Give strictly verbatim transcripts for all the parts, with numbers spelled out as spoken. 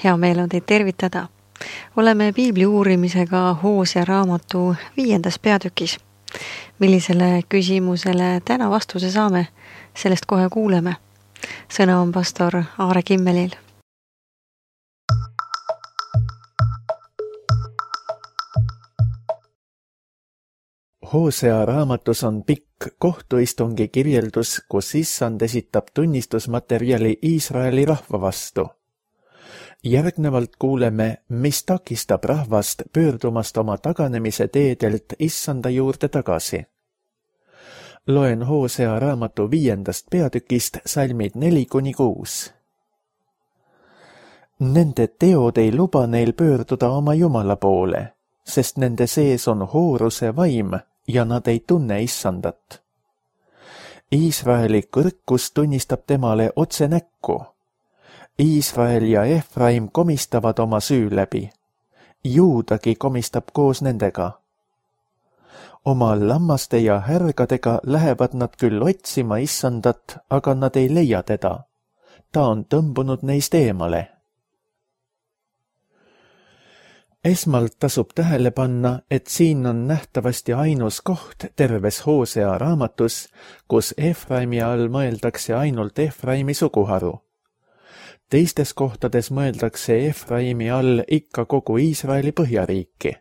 Hea meel on teid tervitada. Oleme piibli uurimisega Hoosea raamatu viiendas peatükis. Millisele küsimusele täna vastuse saame, sellest kohe kuuleme. Sõna on pastor Aare Kimmelil. Hoosea raamatus on pikk kohtuistungi kirjeldus, kus Issand esitab tunnistusmaterjali Iisraeli rahva vastu. Järgnevalt kuuleme, mis takistab rahvast pöördumast oma taganemise teedelt Issanda juurde tagasi. Loen Hoosea raamatu viiendast peatükist salmid neli kuni kuus. Nende teod ei luba neil pöörduda oma Jumala poole, sest nende sees on hooruse vaim ja nad ei tunne Issandat. Iisraeli kõrkus tunnistab temale otse näkku. Iisrael ja Efraim komistavad oma süü läbi. Juudagi komistab koos nendega. Oma lammaste ja härgadega lähevad nad küll otsima Issandat, aga nad ei leia teda. Ta on tõmbunud neist eemale. Esmalt tasub tähele panna, et siin on nähtavasti ainus koht terves Hoosea raamatus, kus Efraimi all mõeldakse ainult Efraimi suguharu. Teistes kohtades mõeldakse Efraimi all ikka kogu Iisraeli põhjariiki.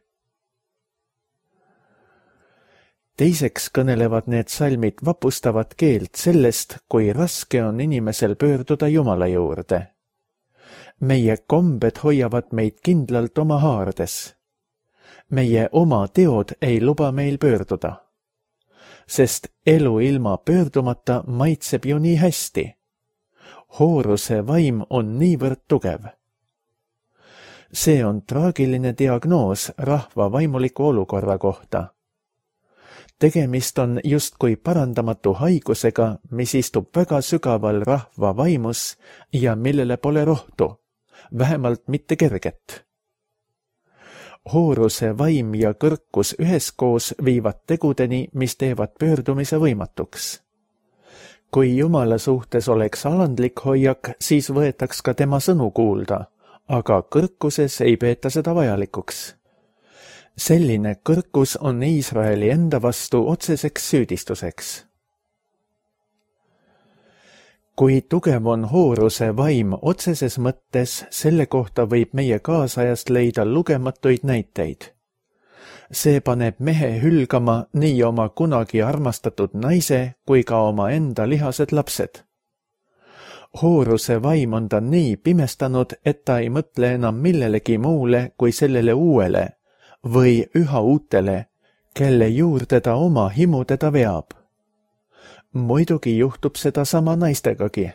Teiseks kõnelevad need salmid vapustavat keelt sellest, kui raske on inimesel pöörduda Jumala juurde. Meie kombed hoiavad meid kindlalt oma haardes. Meie oma teod ei luba meil pöörduda. Sest elu ilma pöördumata maitseb ju nii hästi. Hooruse vaim on niivõrd tugev. See on traagiline diagnoos rahva vaimuliku olukorra kohta. Tegemist on justkui parandamatu haigusega, mis istub väga sügaval rahva vaimus ja millele pole rohtu, vähemalt mitte kerget. Hooruse vaim ja kõrkus üheskoos viivad tegudeni, mis teevad pöördumise võimatuks. Kui Jumala suhtes oleks alandlik hoiak, siis võetaks ka tema sõnu kuulda, aga kõrkuses ei peeta seda vajalikuks. Selline kõrkus on Iisraeli enda vastu otseseks süüdistuseks. Kui tugev on hooruse vaim otseses mõttes, selle kohta võib meie kaasajast leida lugematuid näiteid. See paneb mehe hülgama nii oma kunagi armastatud naise kui ka oma enda lihased lapsed. Hooruse vaim on ta nii pimestanud, et ta ei mõtle enam millelegi muule kui sellele uuele või üha uutele, kelle juurde ta oma himu teda veab. Muidugi juhtub seda sama naistegagi.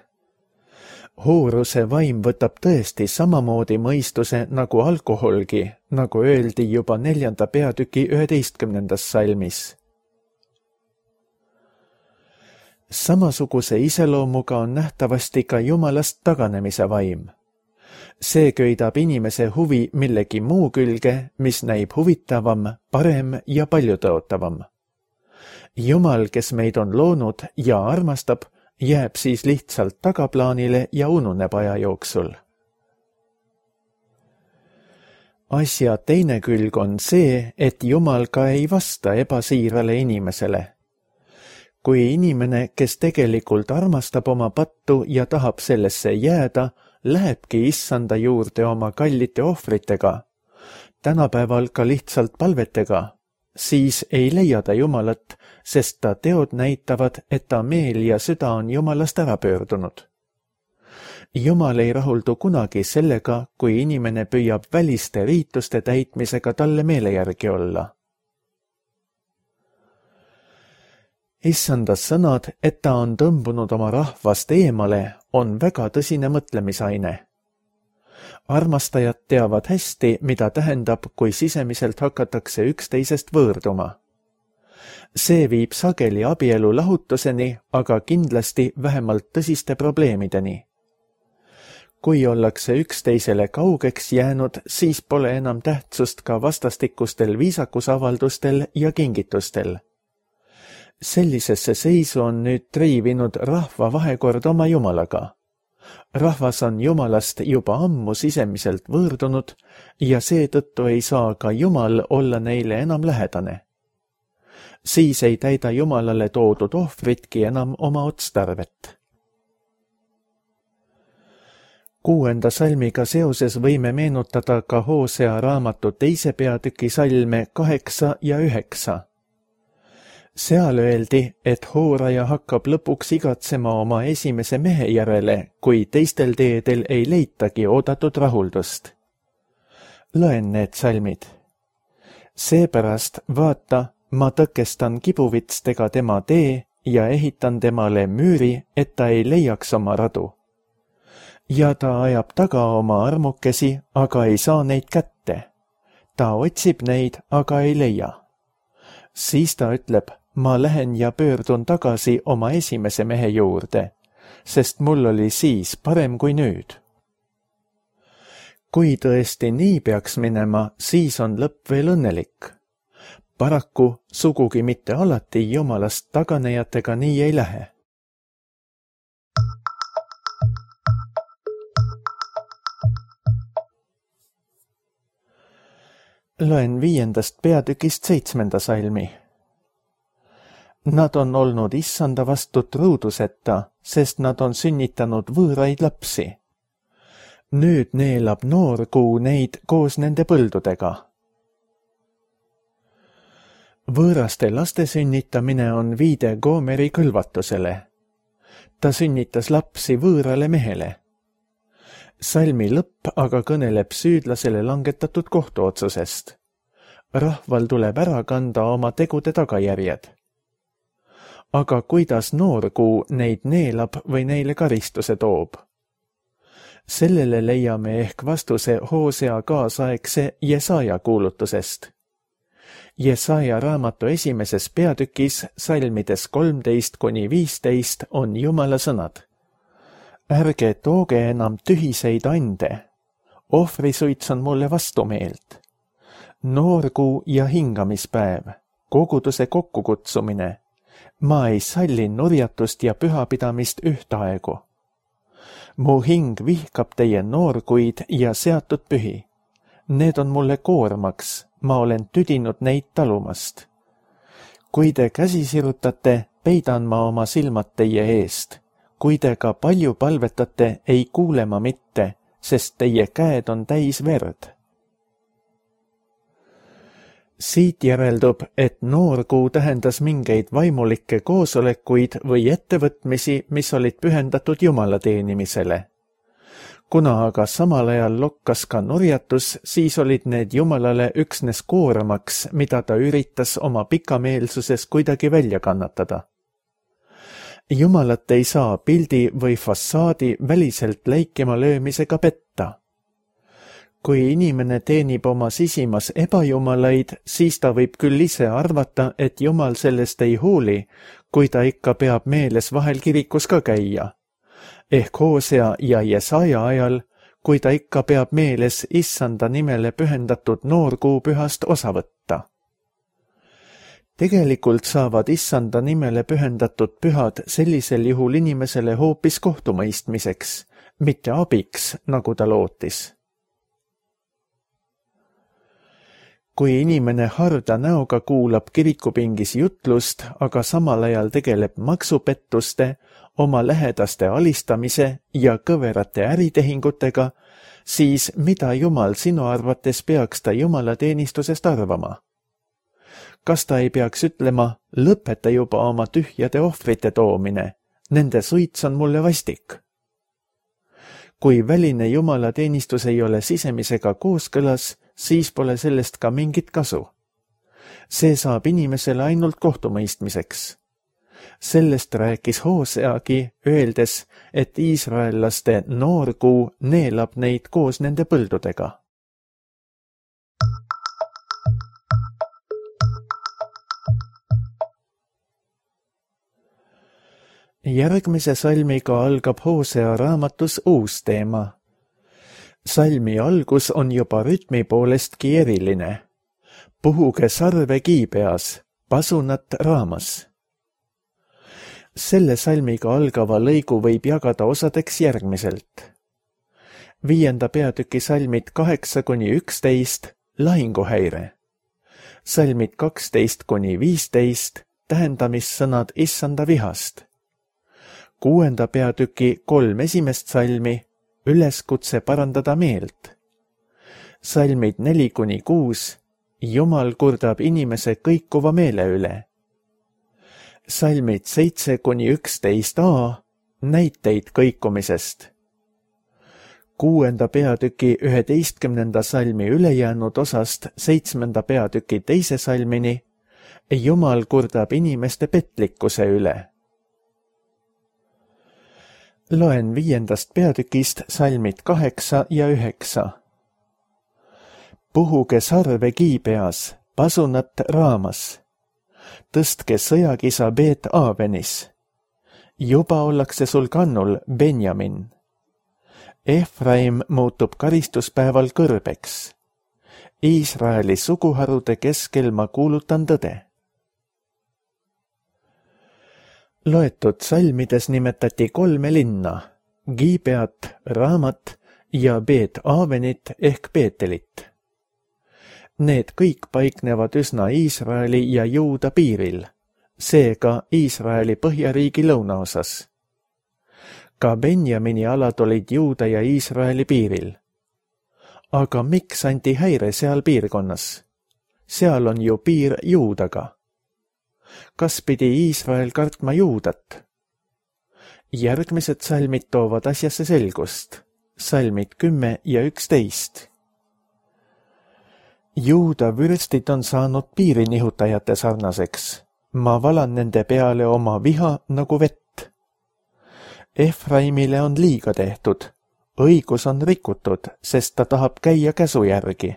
Hooruse vaim võtab tõesti samamoodi mõistuse nagu alkoholgi, nagu öeldi juba neljanda peatüki üheteistkümnendas salmis. Samasuguse iseloomuga on nähtavasti ka Jumalast taganemise vaim. See köidab inimese huvi millegi muu külge, mis näib huvitavam, parem ja paljutõotavam. Jumal, kes meid on loonud ja armastab, jääb siis lihtsalt tagaplaanile ja ununeb aja jooksul. Asja teine külg on see, et Jumal ka ei vasta ebasiirale inimesele. Kui inimene, kes tegelikult armastab oma pattu ja tahab sellesse jääda, lähebki Issanda juurde oma kallite ohvritega, tänapäeval ka lihtsalt palvetega, siis ei leia ta Jumalat, sest ta teod näitavad, et ta meel ja süda on Jumalast ära pöördunud. Jumal ei rahuldu kunagi sellega, kui inimene püüab väliste riituste täitmisega talle meele järgi olla. Issanda sõnad, et ta on tõmbunud oma rahvast eemale, on väga tõsine mõtlemisaine. Armastajad teavad hästi, mida tähendab, kui sisemiselt hakatakse üksteisest võõrduma. See viib sageli abielu lahutuseni, aga kindlasti vähemalt tõsiste probleemideni. Kui ollakse üksteisele kaugeks jäänud, siis pole enam tähtsust ka vastastikustel viisakusavaldustel ja kingitustel. Sellisesse seisu on nüüd triivinud rahva vahekord oma Jumalaga. rahvas on Jumalast juba ammu sisemiselt võõrdunud ja seetõttu ei saa ka Jumal olla neile enam lähedane. Siis ei täida Jumalale toodud ohvritki enam oma otstarvet. Kuuenda salmiga seoses võime meenutada ka Hoosea raamatu teise peatüki salme kaheksa ja üheksa. Seal öeldi, et hooraja hakkab lõpuks igatsema oma esimese mehe järele, kui teistel teedel ei leitagi oodatud rahuldust. Loen need salmid. Seepärast vaata, ma tõkestan kibuvitstega tema tee ja ehitan temale müüri, et ta ei leiaks oma radu. Ja ta ajab taga oma armukesi, aga ei saa neid kätte. Ta otsib neid, aga ei leia. Siis ta ütleb, ma lähen ja pöördun tagasi oma esimese mehe juurde, sest mul oli siis parem kui nüüd. Kui tõesti nii peaks minema, siis on lõpp veel õnnelik. Paraku sugugi mitte alati Jumalast taganejatega nii ei lähe. Loen viiendast peatükist seitsmenda salmi. Nad on olnud issanda vastu truuduseta, sest nad on sünnitanud võõraid lapsi. Nüüd neelab noorkuu neid koos nende põldudega. Võõraste laste sünnitamine on viide Goomeri kõlvatusele. Ta sünnitas lapsi võõrale mehele. Salmi lõpp aga kõneleb süüdlasele langetatud kohtuotsusest. Rahval tuleb ära kanda oma tegude tagajärjed. Aga kuidas noorkuu neid neelab või neile karistuse toob? Sellele leiame ehk vastuse Hoosea kaasaegse Jesaja kuulutusest. Jesaja raamatu esimeses peatükis salmides kolmteist kuni viisteist on Jumala sõnad. Ärge tooge enam tühiseid ande. Ohvrisuits on mulle vastumeelt. Noorkuu ja hingamispäev, koguduse kokkukutsumine. Ma ei salli nurjatust ja pühapidamist ühtaegu. Mu hing vihkab teie noorkuid ja seatud pühi. Need on mulle koormaks, ma olen tüdinud neid talumast. Kui te käsi sirutate, peidan ma oma silmad teie eest. Kui te ka palju palvetate, ei kuule ma mitte, sest teie käed on täis verd. Siit järeldub, et noorkuu tähendas mingeid vaimulikke koosolekuid või ettevõtmisi, mis olid pühendatud Jumala teenimisele. Kuna aga samal ajal lokkas ka nurjatus, siis olid need Jumalale üksnes koormaks, mida ta üritas oma pikameelsuses kuidagi välja kannatada. Jumalat ei saa pildi või fassaadi väliselt läikima löömisega petta. Kui inimene teenib oma sisimas ebajumalaid, siis ta võib küll ise arvata, et Jumal sellest ei hooli, kui ta ikka peab meeles vahel kirikus ka käia. Ehk Hoosea ja Jesaja ajal, kui ta ikka peab meeles issanda nimele pühendatud noorkuu pühast osa võtta. Tegelikult saavad issanda nimele pühendatud pühad sellisel juhul inimesele hoopis kohtumõistmiseks, mitte abiks, nagu ta lootis. Kui inimene harda näoga kuulab kirikupingis jutlust, aga samal ajal tegeleb maksupettuste, oma lähedaste alistamise ja kõverate äritehingutega, siis mida Jumal sinu arvates peaks ta Jumala teenistusest arvama? Kas ta ei peaks ütlema, lõpeta juba oma tühjade ohvrite toomine, nende suits on mulle vastik? Kui väline Jumala teenistus ei ole sisemisega kooskõlas, siis pole sellest ka mingit kasu. See saab inimesele ainult kohtumõistmiseks. Sellest rääkis Hooseagi, öeldes, et iisraellaste noorkuu neelab neid koos nende põldudega. Järgmise salmiga algab Hoosea raamatus uus teema. Salmi algus on juba rütmi poolestki eriline. Puhuge sarve kiibeas, pasunat raamas. Selle salmiga algava lõigu võib jagada osadeks järgmiselt. Viienda peatüki salmid kaheksa kuni üksteist, lahinguhäire. Salmid kaksteist kuni viisteist, tähendamissõnad issanda vihast. Kuuenda peatüki kolm esimest salmi, üleskutse parandada meelt. Salmid neli kuni kuus, Jumal kurdab inimese kõikuva meele üle. Salmid seitse kuni üksteist a, näiteid kõikumisest. Kuuenda peatüki üheteistkümnenda salmi ülejäänud osast seitsmenda peatüki teise salmini, Jumal kurdab inimeste petlikkuse üle. Loen viiendast peatükist salmid kaheksa ja üheksa. Puhuge sarve Giibeas, pasunat Raamas. Tõstke sõjakisa Beet Aavenis. Juba ollakse sul kannul, Benjamin. Efraim muutub karistuspäeval kõrbeks. Iisraeli suguharude keskel ma kuulutan tõde. Loetud salmides nimetati kolme linna, Giibeat, Raamat ja Beet Aavenit ehk Beetelit. Need kõik paiknevad üsna Iisraeli ja Juuda piiril, seega Iisraeli põhjariigi lõunaosas. Ka Benjamini alad olid Juuda ja Iisraeli piiril. Aga miks anti häire seal piirkonnas? Seal on ju piir Juudaga. Kas pidi Iisrael kartma Juudat? Järgmised salmid toovad asjasse selgust. Salmid kümme ja üksteist. Juuda vürstid on saanud piirinihutajate sarnaseks. Ma valan nende peale oma viha nagu vett. Efraimile on liiga tehtud. Õigus on rikutud, sest ta tahab käia käsu järgi.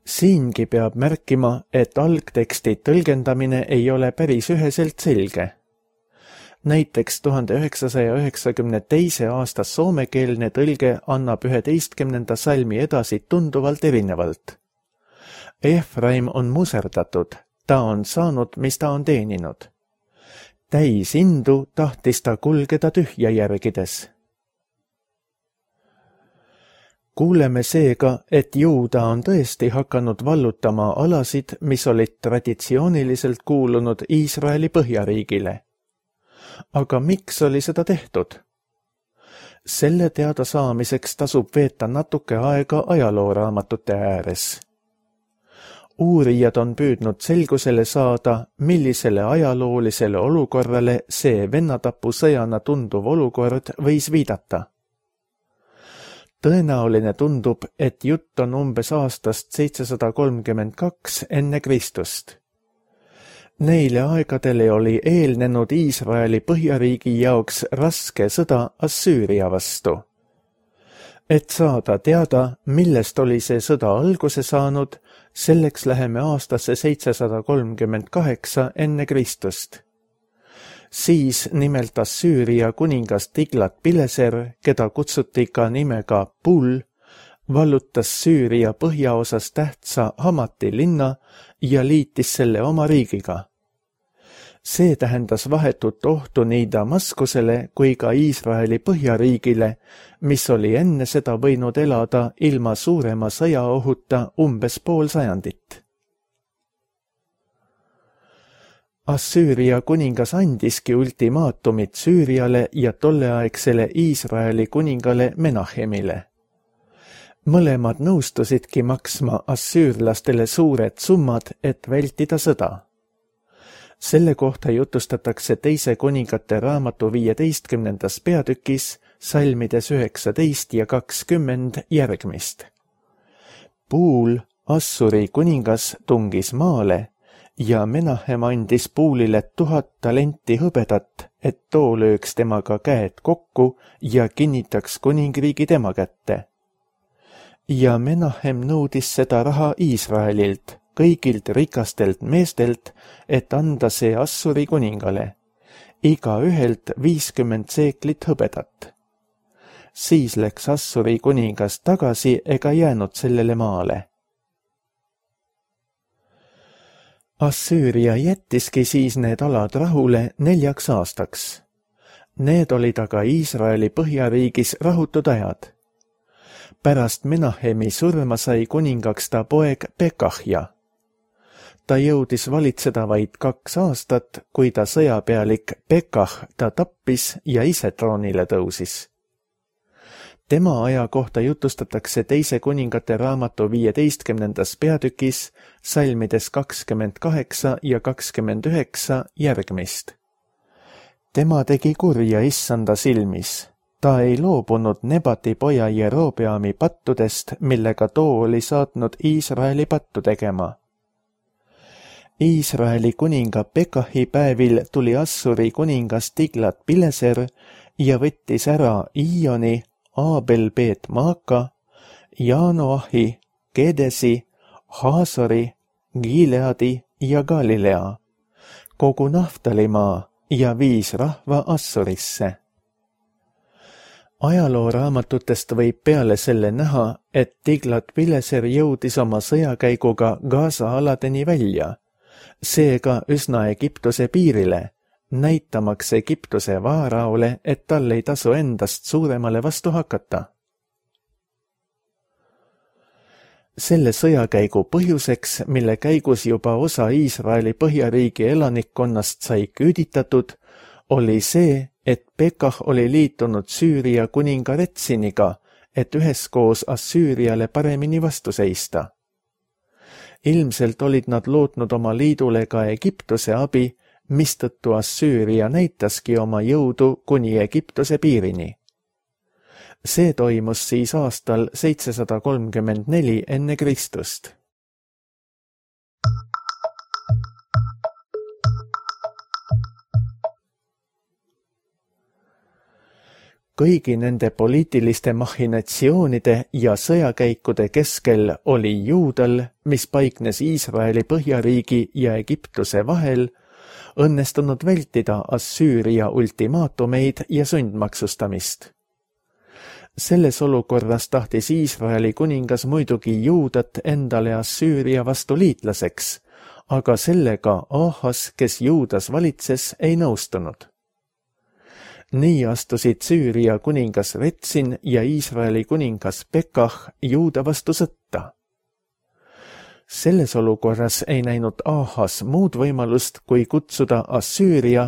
Siingi peab märkima, et algteksti tõlgendamine ei ole päris üheselt selge. Näiteks tuhande üheksasaja üheksakümne teise aasta soomekeelne tõlge annab üheteistkümnenda salmi edasi tunduvalt erinevalt. Efraim on muserdatud, ta on saanud, mis ta on teeninud. Täis indu tahtis ta kulgeda tühja järgides. Kuuleme seega, et Juuda on tõesti hakanud vallutama alasid, mis olid traditsiooniliselt kuulunud Iisraeli põhjariigile. Aga miks oli seda tehtud? Selle teada saamiseks tasub veeta natuke aega ajalooraamatute ääres. Uurijad on püüdnud selgusele saada, millisele ajaloolisele olukorrale see vennatapusõjana tunduv olukord võis viidata. Tõenäoline tundub, et jutt on umbes aastast seitsesada kolmkümmend kaks enne Kristust. Neile aegadele oli eelnenud Iisraeli põhjariigi jaoks raske sõda Assüüria vastu. Et saada teada, millest oli see sõda alguse saanud, selleks läheme aastasse seitsesada kolmkümmend kaheksa enne Kristust. Siis nimelt Assüüria kuningas Tiglat-Pileser, keda kutsuti ka nimega Pull, vallutas Süüria põhjaosas tähtsa Hamati linna ja liitis selle oma riigiga. See tähendas vahetut ohtu nii Damaskusele kui ka Iisraeli põhjariigile, mis oli enne seda võinud elada ilma suurema sõjaohuta umbes pool sajandit. Assüüria kuningas andiski ultimaatumit Süüriale ja tolleaegsele Iisraeli kuningale Menahemile. Mõlemad nõustusidki maksma assüürlastele suured summad, et vältida sõda. Selle kohta jutustatakse teise kuningate raamatu viieteistkümnendas peatükis, salmides üheksateist ja kakskümmend järgmist. Puul, Assuri kuningas, tungis maale ja Menahem andis Puulile tuhat talenti hõbedat, et too lööks temaga käed kokku ja kinnitaks kuningriigi tema kätte. Ja Menahem nõudis seda raha Iisraelilt, kõigilt rikastelt meestelt, et anda see Assuri kuningale, iga ühelt viiskümmend seeklit hõbedat. Siis läks Assuri kuningas tagasi ega jäänud sellele maale. Assüüria jättiski siis need alad rahule neljaks aastaks. Need olid aga Iisraeli põhjariigis rahutud ajad. Pärast Menahemi surma sai kuningaks ta poeg Pekahja. Ta jõudis valitseda vaid kaks aastat, kui ta sõjapealik Pekah ta tappis ja ise troonile tõusis. Tema aja kohta jutustatakse teise kuningate raamatu viieteistkümnendas peatükis salmides kakskümmend kaheksa ja kakskümmend üheksa järgmist. Tema tegi kurja issanda silmis. Ta ei loobunud Nebati poja Jerobeami pattudest, millega too oli saatnud Iisraeli pattu tegema. Iisraeli kuninga Pekahi päevil tuli Assuri kuningas Tiglat-Pileser ja võttis ära Iioni, Aabel-Beet-Maaka, Jaanoahi, Kedesi, Haasori, Gileadi ja Galilea, kogu Naftalimaa ja viis rahva Assurisse. Ajalooraamatutest võib peale selle näha, et Tiglat-Pileser jõudis oma sõjakäiguga Gaza aladeni välja, seega üsna Egiptuse piirile, näitamaks Egiptuse vaaraole, et tal ei tasu endast suuremale vastu hakata. Selle sõjakäigu põhjuseks, mille käigus juba osa Iisraeli põhjariigi elanikkonnast sai küüditatud, oli see, et Pekah oli liitunud Süüria kuninga Retsiniga, et üheskoos Assüüriale paremini vastu seista. Ilmselt olid nad lootnud oma liidule ka Egiptuse abi, mistõttu Assüüria näitaski oma jõudu kuni Egiptuse piirini. See toimus siis aastal seitsesada kolmkümmend neli enne Kristust. Kõigi nende poliitiliste machinatsioonide ja sõjakäikude keskel oli Juudal, mis paiknes Iisraeli põhjariigi ja Egiptuse vahel, õnnestunud vältida Assüüria ultimaatumeid ja sundmaksustamist. Selles olukorras tahtis Iisraeli kuningas muidugi Juudat endale Assüüria vastu liitlaseks, aga sellega Ahas, kes Juudas valitses, ei nõustunud. Nii astusid Süüria kuningas Retsin ja Iisraeli kuningas Pekah Juuda vastu sõtta. Selles olukorras ei näinud Ahas muud võimalust, kui kutsuda Assüüria,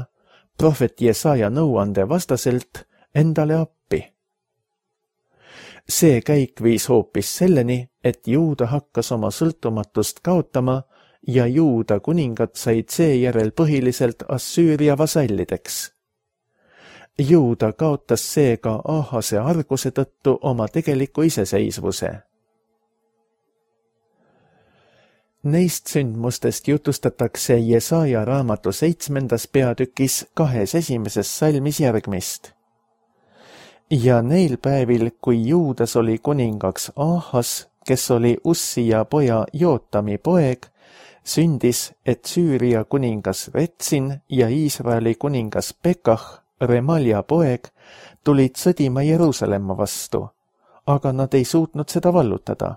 prohvet Jesaja nõuande vastaselt, endale appi. See käik viis hoopis selleni, et Juuda hakkas oma sõltumatust kaotama ja Juuda kuningad said seejärel põhiliselt Assüüria vasallideks. Juuda kaotas seega Ahase arguse tõttu oma tegeliku iseseisvuse. Neist sündmustest jutustatakse Jesaja raamatu seitsmendas peatükis kahes esimeses salmis järgmist. Ja neil päevil, kui Juudas oli kuningaks Ahas, kes oli Ussija poja Jootami poeg, sündis, et Süüria kuningas Retsin ja Iisraeli kuningas Pekah, Remalja poeg, tulid sõdima Jeruusalemma vastu, aga nad ei suutnud seda vallutada.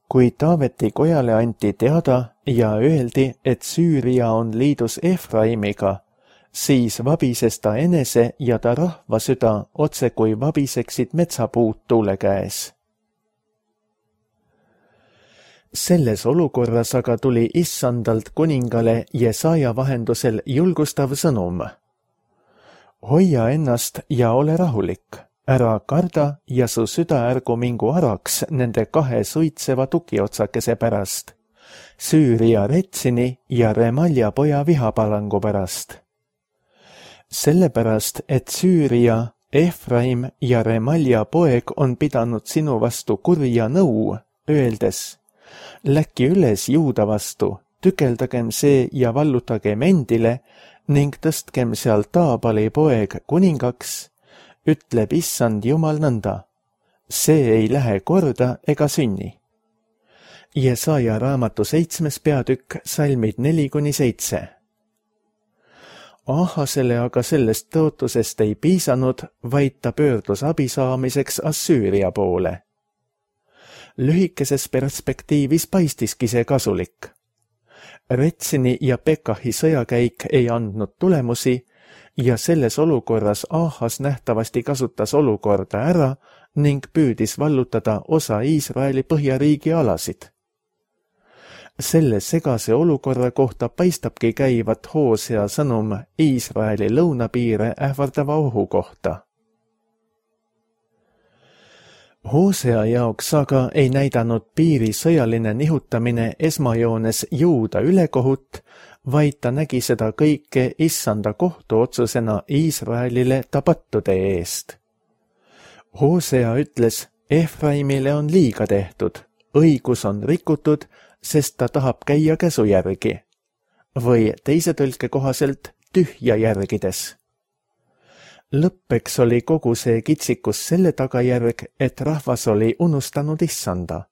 Kui Taaveti kojale anti teada ja öeldi, et Süüria on liidus Efraimiga, siis vabises ta enese ja ta rahva süda otse kui vabiseksid metsapuud tuule käes. Selles olukorras aga tuli issandalt kuningale Jesaja vahendusel julgustav sõnum. Hoia ennast ja ole rahulik, ära karda ja su süda ärgu mingu araks nende kahe suitseva tukiotsakese pärast, Süüria Retsini ja Remalja poja vihapalangu pärast. Sellepärast, et Süüria, Efraim ja Remalja poeg on pidanud sinu vastu kurja nõu, öeldes, läkki üles Juuda vastu, tükeldagem see ja vallutagem endile ning tõstkem seal Taabali poeg kuningaks, ütleb issand Jumal nõnda. See ei lähe korda ega sünni. Jesaja raamatu seitsmes peatükk, salmid neli kuni seitse. Ahasele aga sellest tõotusest ei piisanud, vaid ta pöördus abi saamiseks Assüüria poole. Lühikeses perspektiivis paistiski see kasulik. Retsini ja Pekahi sõjakäik ei andnud tulemusi ja selles olukorras Ahas nähtavasti kasutas olukorda ära ning püüdis vallutada osa Iisraeli põhjariigi alasid. Selle segase olukorra kohta paistabki käivat Hoosea sõnum Iisraeli lõunapiire ähvardava ohu kohta. Hoosea jaoks aga ei näidanud piiri sõjaline nihutamine esmajoones Juuda ülekohut, vaid ta nägi seda kõike issanda kohtuotsusena Iisraelile tapattude eest. Hoosea ütles, Efraimile on liiga tehtud, õigus on rikutud, sest ta tahab käia käsu järgi, või teise tõlke kohaselt tühja järgides. Lõppeks oli kogu see kitsikus selle tagajärg, et rahvas oli unustanud issanda.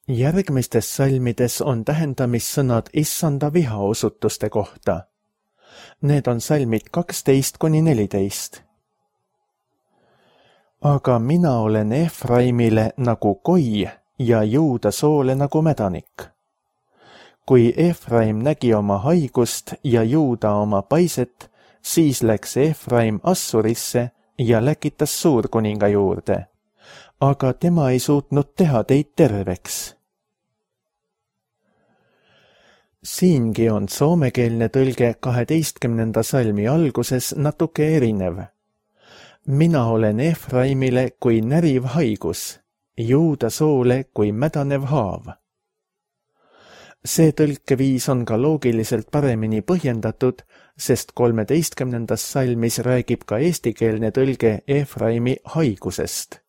Järgmistes salmides on tähendamissõnad issanda vihaosutuste kohta. Need on salmid kaksteist kuni neliteist. Aga mina olen Efraimile nagu koi ja Juuda soole nagu mädanik. Kui Efraim nägi oma haigust ja Juuda oma paiset, siis läks Efraim Assurisse ja läkitas suurkuninga juurde. Aga tema ei suutnud teha teid terveks. Siingi on soomekeelne tõlge kaheteistkümnenda salmi alguses natuke erinev. Mina olen Efraimile kui näriv haigus, Juuda soole kui mädanev haav. See tõlkeviis on ka loogiliselt paremini põhjendatud, sest kolmeteistkümnendas salmis räägib ka eestikeelne tõlge Efraimi haigusest.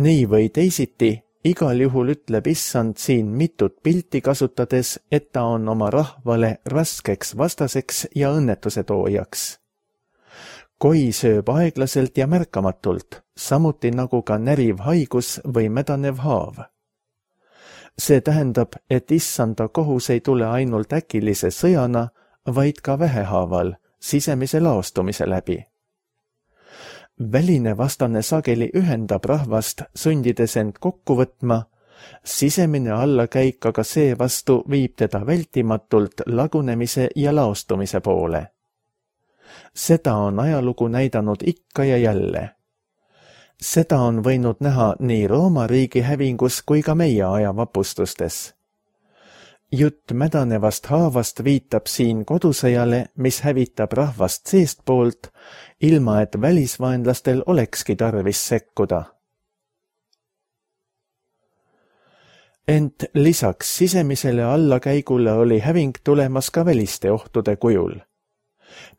Nii või teisiti, igal juhul ütleb issand siin mitut pilti kasutades, et ta on oma rahvale raskeks vastaseks ja õnnetuse toojaks. Koi sööb aeglaselt ja märkamatult, samuti nagu ka näriv haigus või mädanev haav. See tähendab, et issanda kohus ei tule ainult äkilise sõjana, vaid ka vähehaaval, sisemise laostumise läbi. Väline vastane sageli ühendab rahvast, sundides end kokku võtma, sisemine allakäik aga seevastu viib teda vältimatult lagunemise ja laostumise poole. Seda on ajalugu näidanud ikka ja jälle. Seda on võinud näha nii Rooma riigi hävingus kui ka meie aja vapustustes. Jutt mädanevast haavast viitab siin kodusõjale, mis hävitab rahvast seestpoolt, ilma et välisvaenlastel olekski tarvis sekkuda. Ent lisaks sisemisele allakäigule oli häving tulemas ka väliste ohtude kujul.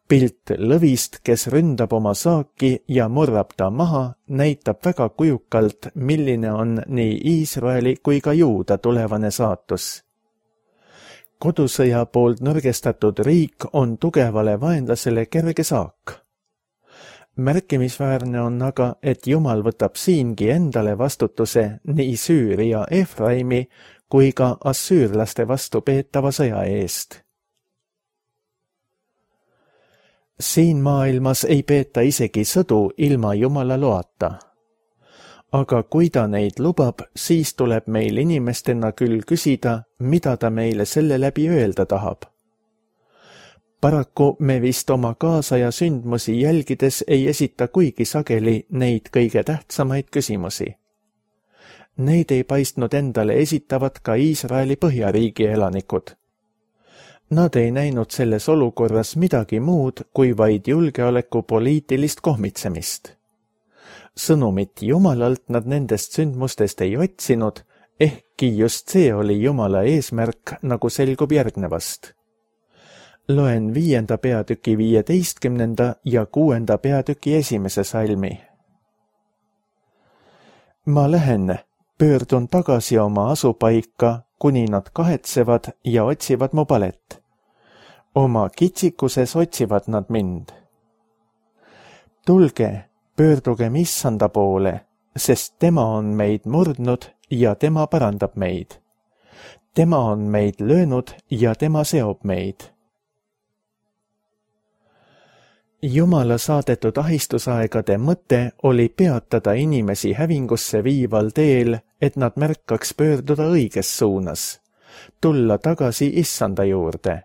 Pilt lõvist, kes ründab oma saaki ja murrab ta maha, näitab väga kujukalt, milline on nii Iisraeli kui ka Juuda tulevane saatus. Kodusõja poolt nõrgestatud riik on tugevale vaenlasele kerge saak. Märkimisväärne on aga, et Jumal võtab siingi endale vastutuse nii Süüria Efraimi kui ka assüürlaste vastu peetava sõja eest. Siin maailmas ei peeta isegi sõdu ilma Jumala loata. Aga kui ta neid lubab, siis tuleb meil inimestena küll küsida, mida ta meile selle läbi öelda tahab. Paraku me vist oma kaasaja sündmusi jälgides ei esita kuigi sageli neid kõige tähtsamaid küsimusi. Neid ei paistnud endale esitavat ka Iisraeli põhjariigi elanikud. Nad ei näinud selles olukorras midagi muud kui vaid julgeoleku poliitilist kohmitsemist. Sõnumit Jumalalt nad nendest sündmustest ei otsinud, ehkki just see oli Jumala eesmärk, nagu selgub järgnevast. Loen viienda peatüki viieteistkümnenda ja kuuenda peatüki esimese salmi. Ma lähen, pöördun tagasi oma asupaika, kuni nad kahetsevad ja otsivad mu palet. Oma kitsikuses otsivad nad mind. Tulge, pöördugem issanda poole, sest tema on meid murdnud ja tema parandab meid. Tema on meid löönud ja tema seob meid. Jumala saadetud ahistusaegade mõte oli peatada inimesi hävingusse viival teel, et nad märkaks pöörduda õiges suunas, tulla tagasi Issanda juurde.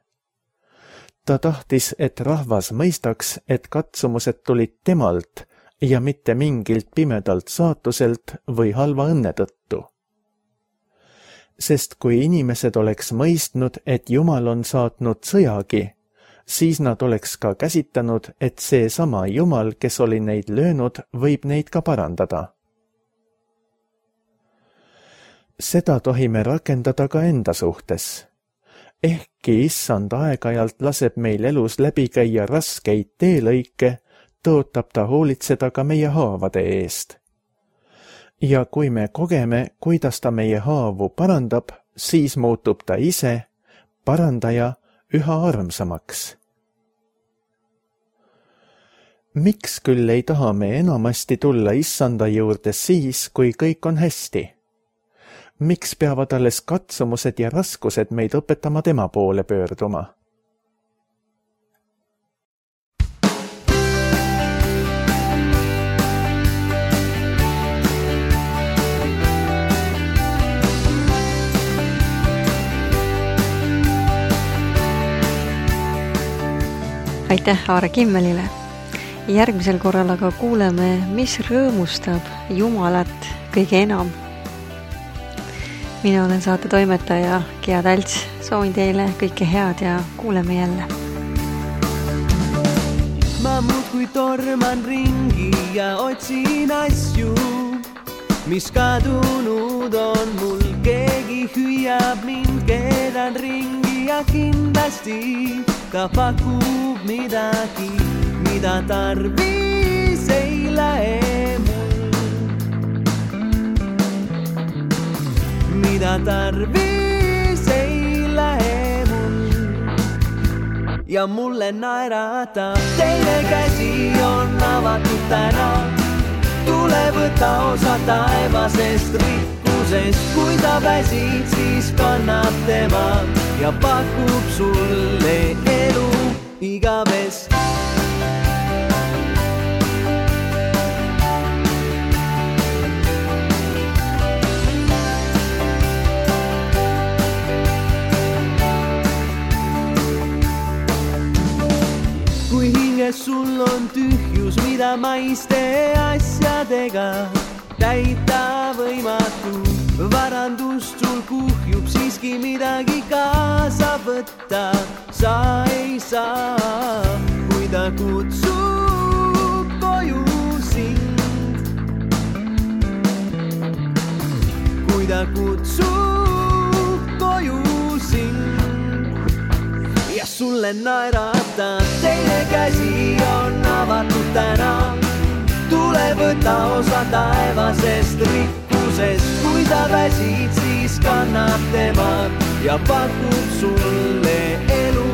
Ta tahtis, et rahvas mõistaks, et katsumused tulid temalt ja mitte mingilt pimedalt saatuselt või halva õnne tõttu. Sest kui inimesed oleks mõistnud, et Jumal on saatnud sõjagi, siis nad oleks ka käsitanud, et see sama Jumal, kes oli neid löönud, võib neid ka parandada. Seda tohime rakendada ka enda suhtes. Ehkki Issand aeg-ajalt laseb meil elus läbi käia raskeid teelõike, tõotab ta hoolitseda ka meie haavade eest. Ja kui me kogeme, kuidas ta meie haavu parandab, siis muutub ta ise, parandaja, üha armsamaks. Miks küll ei taha me enamasti tulla Issanda juurde siis, kui kõik on hästi? Miks peavad alles katsumused ja raskused meid õpetama tema poole pöörduma? Aitäh Aare Kimmelile. Järgmisel korral aga kuuleme, mis rõõmustab Jumalat kõige enam. Mina olen saate toimetaja Gea Talts. Soovin teile kõike head ja kuuleme jälle. Ma muudkui torman ringi ja otsin asju, mis kadunud on mul. Keegi hüüab mind, keeran ringi ja kindlasti ta pakub midagi, mida tarvis ei lähe mul. Mida tarvis ei lähe mul. Ja mulle naeratab, teine käsi on avatud täna. Tule võta osa taevasest rikkusest, kui ta väsid, siis kannab tema ja pakub sulle elu igavest. Kui hinges sul on tühjus, mida maiste asjadega täita võimatu, varandust sul kuhjub, siiski midagi kaasa võtta sa ei saa. Kui ta kutsub koju sind, kui ta kutsub koju sind ja sulle naeratab, teine käsi on avatud täna. Tule võta osa taevasest rikkusest, kui ta väsid, siis kannab tema ja pakub sulle elu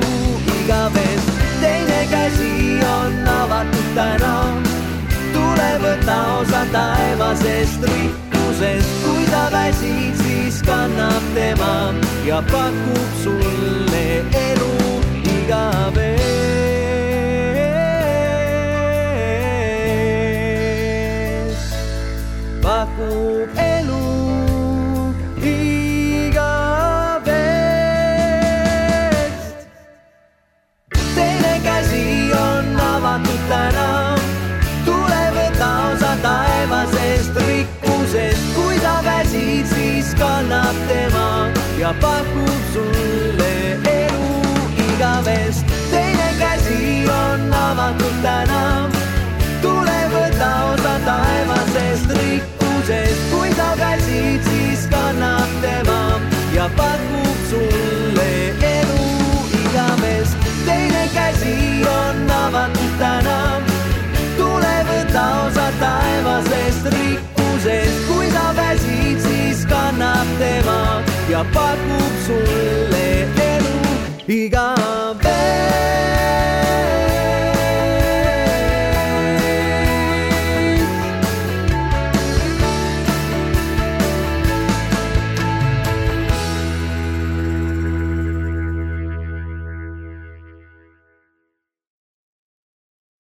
igavest. Teine käsi on avatud täna. Tule võta osa taevasest rikkusest, kui ta väsid, siis kannab tema ja pakub sulle elu igavest. Pakub elu igavest. Teine käsi on avatud täna. Tule võta osa taevasest rikkusest, kui ta väsid, siis kannab tema ja pakub sulle elu igavest. Teine käsi on avatud täna. Tule võta osa taevasest rikkusest, kui ta väsid, siis kannab tema ja pakub sulle elu igavest. Teine käsi on avatud täna. Tule võta osa taevasest rikkusest, kui ta väsid, siis kannab tema ja pakub sulle elu igavest.